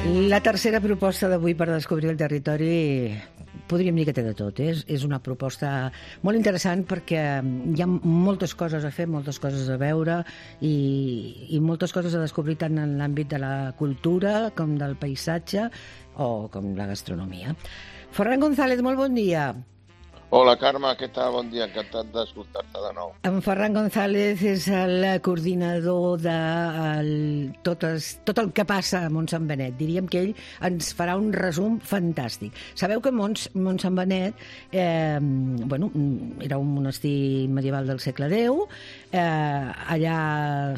La tercera proposta d'avui per descobrir el territori podríem dir que té de tot. És una proposta molt interessant perquè hi ha moltes coses a fer, moltes coses a veure i moltes coses a descobrir tant en l'àmbit de la cultura com del paisatge o com la gastronomia. Ferran González, molt bon dia. Hola, Carme, què tal? Bon dia, encantat d'escoltar-te de nou. En Ferran González és el coordinador de tot el que passa a Montsant Benet. Diríem que ell ens farà un resum fantàstic. Sabeu que Montsant Benet era un monestir medieval del segle X, allà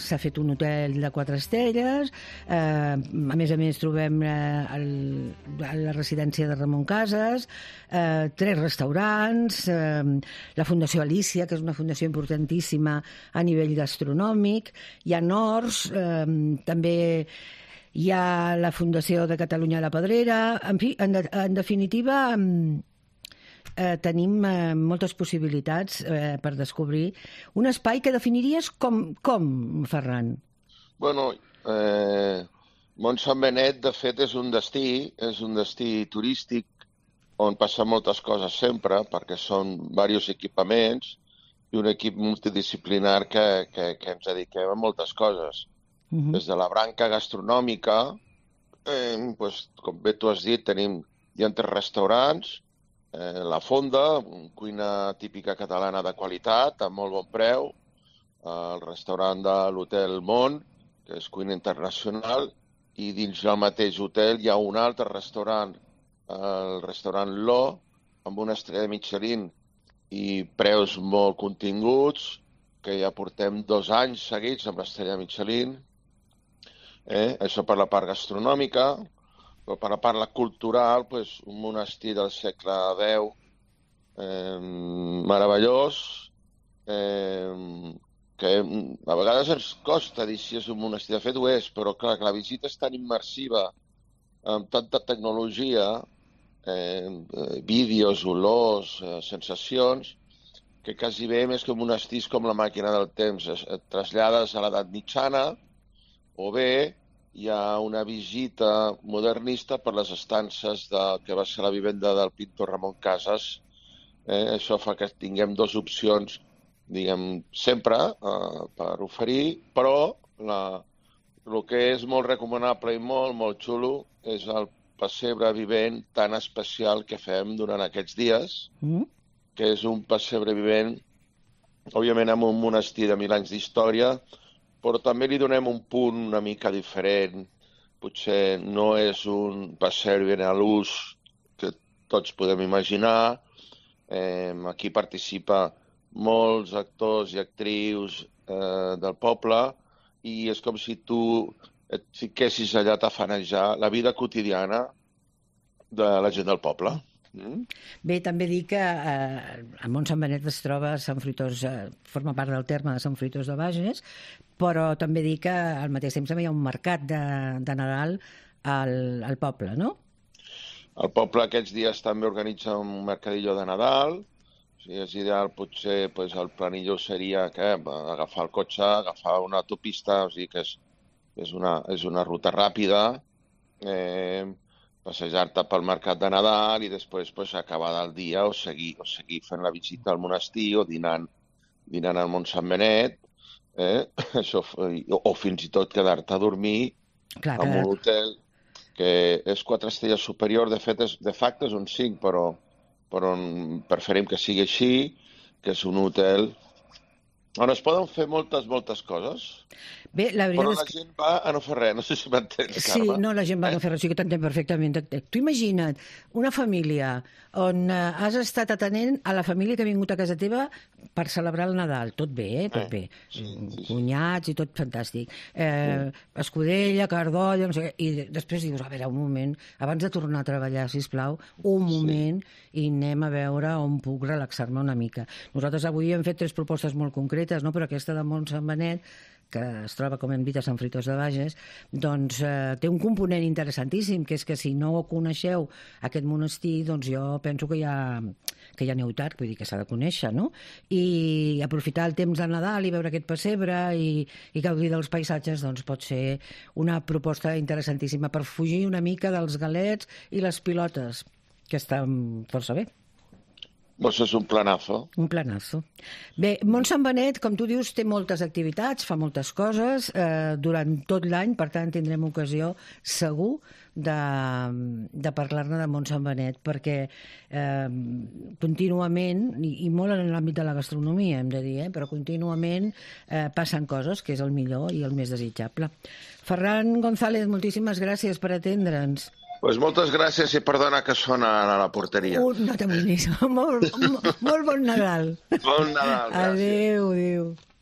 s'ha fet un hotel de 4 estrelles, a més trobem la residència de Ramon Casas, 3 restaurants, la Fundació Alícia, que és una fundació importantíssima a nivell gastronòmic, hi ha horts, també hi ha la Fundació de Catalunya a la Pedrera, en fi, en definitiva tenim moltes possibilitats per descobrir un espai que definiries com Ferran? Bueno, Montsant Benet, de fet, és un destí turístic on passen moltes coses sempre, perquè són diversos equipaments i un equip multidisciplinar que ens dediquem a moltes coses. Des de la branca gastronòmica, com bé tu has dit, hi ha 3 restaurants, La Fonda, cuina típica catalana de qualitat, a molt bon preu, el restaurant de l'Hotel Mont, que és cuina internacional, i dins del mateix hotel hi ha un altre restaurant, el restaurant Lo, amb una estrella Michelin i preus molt continguts, que ja portem 2 anys seguits amb l'estrella Michelin. Això per la part gastronòmica, però per la part cultural, un monestir del segle X meravellós, que a vegades ens costa dir si és un monestir. De fet ho és, però clar, que la visita és tan immersiva, amb tanta tecnologia, vídeos, olors, sensacions, que quasi bé més que monestirs com la màquina del temps. Et trasllades a l'edat mitjana o bé hi ha una visita modernista per les estances que va ser la vivenda del pintor Ramon Casas. Això fa que tinguem 2 opcions, diguem, sempre per oferir, però el que és molt recomanable i molt xulo és el pessebre vivent tan especial que fem durant aquests dies, que és un pessebre vivent, òbviament amb un monestir de 1000 anys d'història, però també li donem un punt una mica diferent. Potser no és un pessebre vivent a l'ús que tots podem imaginar. Aquí participa molts actors i actrius del poble i és com si tu et fiquessis allà a tafanejar la vida quotidiana de la gent del poble. Bé, també dir que a Montsant Benet es troba Sant Fruitós, forma part del terme de Sant Fruitós de Bages, però també dir que al mateix temps també hi ha un mercat de Nadal al poble, no? El poble aquests dies també organitza un mercadillo de Nadal. Si és ideal, potser el planillo seria agafar el cotxe, agafar una autopista, o sigui que és una ruta ràpida, passejar-te pel mercat de Nadal i després acabar el dia o seguir fent la visita al monestir o dinant al Montsant Benet, o fins i tot quedar-te a dormir en un hotel que és 4 estrelles superior. De fet, de facto és un 5, però preferim que sigui així, que és un hotel on es poden fer moltes coses. Bé, la veritat però la gent va a no fer res, no sé si m'entens, Carme. Sí, no, la gent va a no fer res, sí que t'entenc perfectament. Tu imagina't una família on has estat atenent a la família que ha vingut a casa teva per celebrar el Nadal. Tot bé, tot bé. Sí. Cunyats i tot fantàstic. Escudella, cardolla, no sé què. I després dius, a veure, un moment, abans de tornar a treballar, sisplau, un moment, i anem a veure on puc relaxar-me una mica. Nosaltres avui hem fet 3 propostes molt concretes, no? Però aquesta de Montsant Benet, que es troba, com hem dit, a Sant Fruitós de Bages, doncs té un component interessantíssim, que és que si no coneixeu aquest monestir, doncs jo penso que ja aneu tard, vull dir que s'ha de conèixer, no? I aprofitar el temps de Nadal i veure aquest pessebre i gaudir dels paisatges, doncs pot ser una proposta interessantíssima per fugir una mica dels galets i les pilotes, que estan força bé. Doncs és un planazo. Un planazo. Bé, Montsant Benet, com tu dius, té moltes activitats, fa moltes coses durant tot l'any, per tant tindrem ocasió segur de parlar-ne de Montsant Benet, perquè contínuament, i molt en l'àmbit de la gastronomia, hem de dir, però contínuament passen coses, que és el millor i el més desitjable. Ferran González, moltíssimes gràcies per atendre'ns. Pues moltes gràcies i perdona que sona a la porteria. No t'amoïnis. Molt bon Nadal. Bon Nadal, gràcies. Adéu, adéu.